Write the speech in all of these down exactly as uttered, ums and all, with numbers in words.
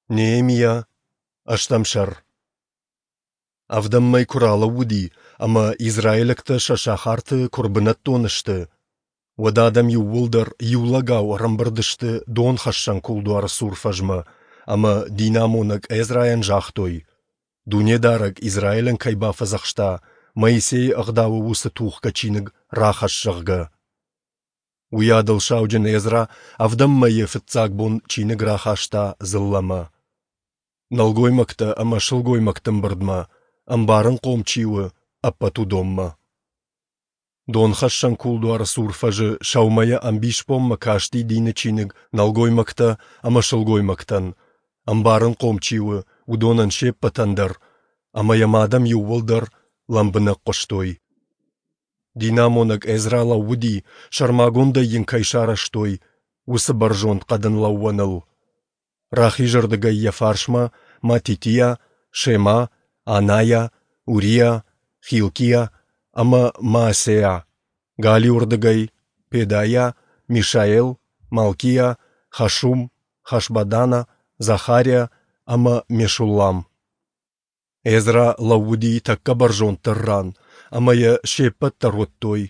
Неемиа, ӕстӕм сӕр. Ӕвдӕм мӕй куы ралӕууыди ӕмӕ израилӕгтӕ сӕ сахарты куы ӕрбынӕттон сты, уӕд адӕм иууылдӕр иу лӕгау ӕрӕмбырд сты Донхӕссӕн кулдуары цур фӕзмӕ ӕмӕ динамонӕг Эзрайӕн загътой, Дунедарӕг Израилӕн кӕй бафӕдзӕхста, Моисейы Ӕгъдауы уыцы тухгӕ чиныг рахӕсс, зӕгъгӕ. Уыйадыл сауджын Эзра ӕвдӕм мӕйы фыццаг бон чиныг рахаста дзыллӕмӕ. Нӕлгоймӕгтӕ ӕмӕ сылгоймӕгты ӕмбырдмӕ, ӕмбарынхъом чи у, ӕппӕт уыдонмӕ. Донхӕссӕн кулдуары цур фӕзы сӕумӕйӕ ӕмбисбонмӕ касти дины чиныг нӕлгоймӕгтӕ ӕмӕ сылгоймӕгтӕн, ӕмбарынхъом чи у, уыдонӕн се ппӕтӕн дӕр, ӕмӕ йӕм адӕм иууылдӕр лӕмбынӕг хъуыстой. Динамонӕг Эзра лӕууыди, сӕрмагондӕй йын кӕй сарӕзтой, уыцы бӕрзонд хъӕдын лӕууӕныл. Рахизырдыгӕй йӕ фарсмӕ Матитиа, Шема, Анайа, Уриа, Хилкиа ӕмӕ Маасеа, галиуырдыгӕй Педайа, Мишаэл, Малкиа, Хашум, Хашбадана, Захариа ӕмӕ Мешуллам. Эзра лӕууыди тӕккӕ бӕрзонддӕр ран, ӕмӕ йӕ се ппӕт дӕр уыдтой.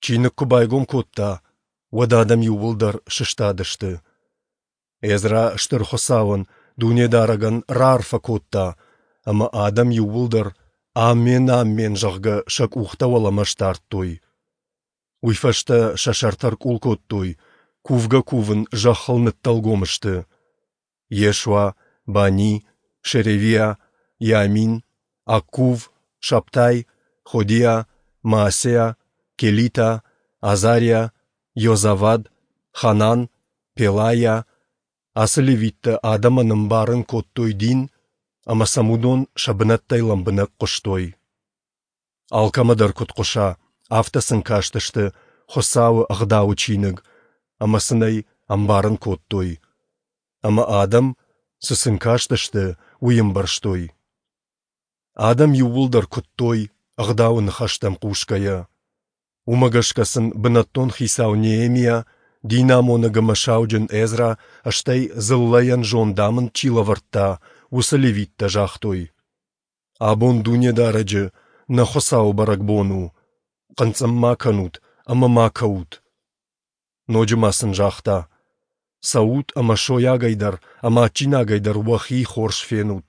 Чиныг куы байгом кодта, уӕд адӕм иууылдӕр сыстадысты. Эзра Стыр Хуыцауӕн, Дунедарӕгӕн, раарфӕ кодта, ӕмӕ адӕм иууылдӕр «Аммен, аммен», зӕгъгӕ, сӕ къухтӕ уӕлӕмӕ сдардтой. Уый фӕстӕ сӕ сӕртӕ ӕркъул кодтой, кувгӕ-кувын зӕххыл ныддӕлгом сты. Йешуа, Бани, Шеревиа, Иамин, Аккув, Шабтай, Ходиа, Маасеа, Келита, Азариа, Йозавад, Ханан, Пелайа, ацы левиттӕ адӕмӕн ӕмбарын кодтой дин, ӕмӕ сӕм уыдон сӕ бынӕттӕй лӕмбынӕг хъуыстой. Алкӕмӕ дӕр куыд хъуса, афтӕ сын кастысты Хуыцауы Ӕгъдауы чиныг ӕмӕ сын ӕй ӕмбарын кодтой. Ӕмӕ адӕм, цы сын кастысты, уый ӕмбӕрстой. Адӕм иууылдӕр куыдтой, Ӕгъдауы ныхӕстӕм хъусгӕйӕ. Уымӕ гӕсгӕ сын бынӕттон хицау Неемиа, динамонӕг ӕмӕ сауджын Эзра, стӕй дзыллӕйӕн зондамынд чи лӕвӕрдта, уыцы левиттӕ загътой: «Абон Дунедарӕджы, нӕ Хуыцауы бӕрӕгбон у. Хъынцъым ма кӕнут ӕмӕ ма кӕут». Ноджы ма сын загъта: «Цӕут ӕмӕ сойагӕй дӕр ӕмӕ адджинагӕй дӕр уӕхи хорз фенут.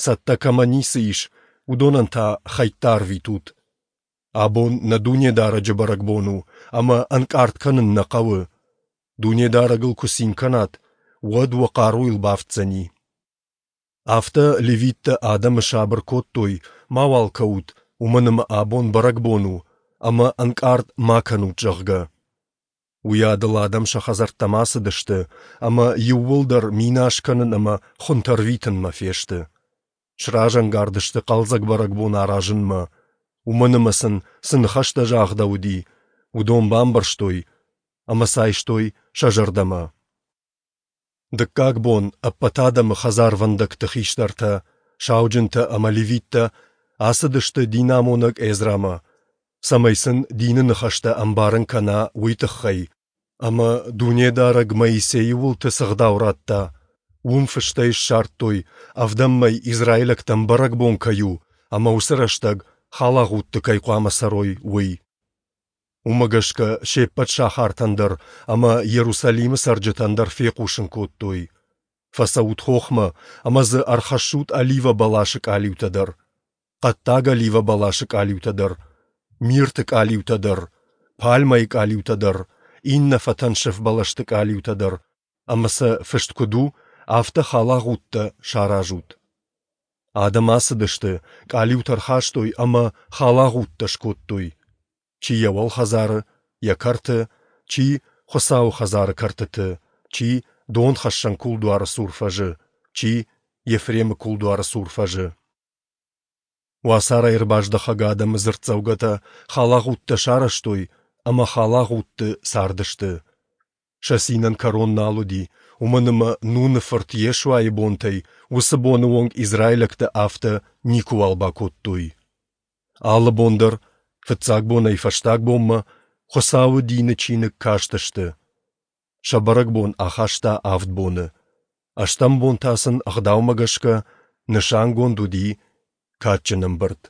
Цӕттӕ кӕмӕ ницы ис, уыдонӕн та хӕйттӕ арвитут. Абон нӕ Дунедарӕджы бӕрӕгбон у, ӕмӕ ӕнкъард кӕнын нӕ хъӕуы. Дунедарӕгыл куы цин кӕнат, уӕд уӕ хъаруйыл бафтдзӕни». Афтӕ левиттӕ адӕмы сабыр кодтой: мауал кӕут, уымӕн ӕмӕ абон бӕрӕгбон у, ӕмӕ ӕнкъард ма кӕнут, зӕгъгӕ. Уыйадыл адӕм сӕ хӕдзӕрттӕм ацыдысты ӕмӕ иууылдӕр минас кӕнын ӕмӕ хуынтӕ ӕрвитынмӕ фесты. Сразӕнгард сты хъӕлдзӕг бӕрӕгбон аразынмӕ, уымӕн ӕмӕ сын цы ныхӕстӕ загъдӕуыди, уыдон бамбӕрстой ӕмӕ сӕ айстой сӕ зӕрдӕмӕ. Дыккаг бон ӕппӕт адӕмы хӕдзарвӕндӕгты хистӕртӕ, сауджынтӕ ӕмӕ левиттӕ ацыдысты динамонӕг Эзрамӕ, цӕмӕй сын дины ныхӕстӕ ӕмбарын кӕна, уый тыххӕй, ӕмӕ Дунедарӕг Моисейы уылты цы ӕгъдау радта, уым фыстӕй ссардтой, ӕвдӕм мӕй израилӕгтӕн бӕрӕгбон кӕй у ӕмӕ уыцы рӕстӕг халагъудты кӕй хъуамӕ цӕрой, уый. Уымӕ гӕсгӕ се ппӕт сахартӕн дӕр ӕмӕ Иерусалимы цӕрджытӕн дӕр фехъусын кодтой: фӕцӕут хохмӕ ӕмӕ дзы ӕрхӕссут оливӕ бӕласы къалиутӕ дӕр, хъӕддаг оливӕ бӕласы къалиутӕ дӕр, мирты къалиутӕ дӕр, пальмӕйы къалиутӕ дӕр, иннӕ фӕтӕнсыф бӕлӕсты къалиутӕ дӕр, ӕмӕ сӕ фыст куыд у, афтӕ халагъудтӕ саразут. Адӕм ацыдысты, къалиутӕ ӕрхастой ӕмӕ халагъудтӕ скодтой. Чи йӕ уӕлхӕдзары, йӕ кӕрты, чи Хуыцауы хӕдзары кӕртыты, чи Донхӕссӕн кулдуары цур фӕзы, чи Ефремы кулдуары цур фӕзы. Уацарӕй ӕрбаздӕхӕг адӕмы дзырддзӕугӕтӕ халагъудтӕ сарӕзтой ӕмӕ халагъудты цардысты. Сӕ цинӕн кӕрон нал уыди, уымӕн ӕмӕ Нуны фырт Йешуайы бонтӕй уыцы боны онг израилӕгтӕ афтӕ никуыуал бакодтой. Алы бон дӕр, фыццаг бонӕй фӕстаг бонмӕ, Хуыцауы дины чиныг кастысты. Сӕ бӕрӕгбон ахаста авд боны. Ӕстӕм бон та сын ӕгъдаумӕ гӕсгӕ нысангонд уыди кадджын ӕмбырд.